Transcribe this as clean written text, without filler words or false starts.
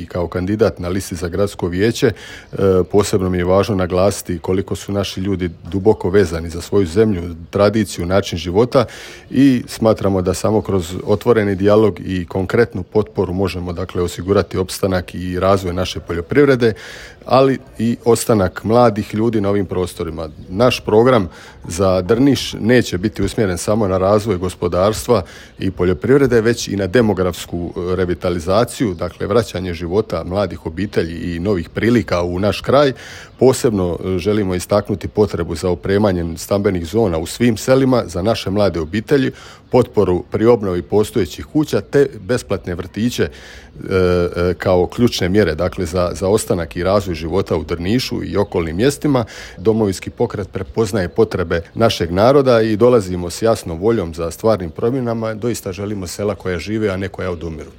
i kao kandidat na listi za gradsko vijeće posebno mi je važno naglasiti koliko su naši ljudi duboko vezani za svoju zemlju, tradiciju, način života i smatramo da samo kroz otvoreni dijalog i konkretnu potporu možemo dakle osigurati opstanak i razvoj naše poljoprivrede, ali i ostanak mladih ljudi na ovim prostorima. Naš program za Drniš neće biti usmjeren samo na razvoj gospodarstva i poljoprivrede, već i na demografsku revitalizaciju, dakle vraćanje života mladih obitelji i novih prilika u naš kraj. Posebno želimo istaknuti potrebu za opremanjem stambenih zona u svim selima za naše mlade obitelji, potporu pri obnovi postojećih kuća te besplatne vrtiće kao ključne mjere dakle za ostanak i razvoj života u Drnišu i okolnim mjestima. Domovinski pokret prepoznaje potrebe našeg naroda i dolazimo s jasnom voljom za stvarnim promjenama. Doista želimo sela koja žive, a ne koja odumiru.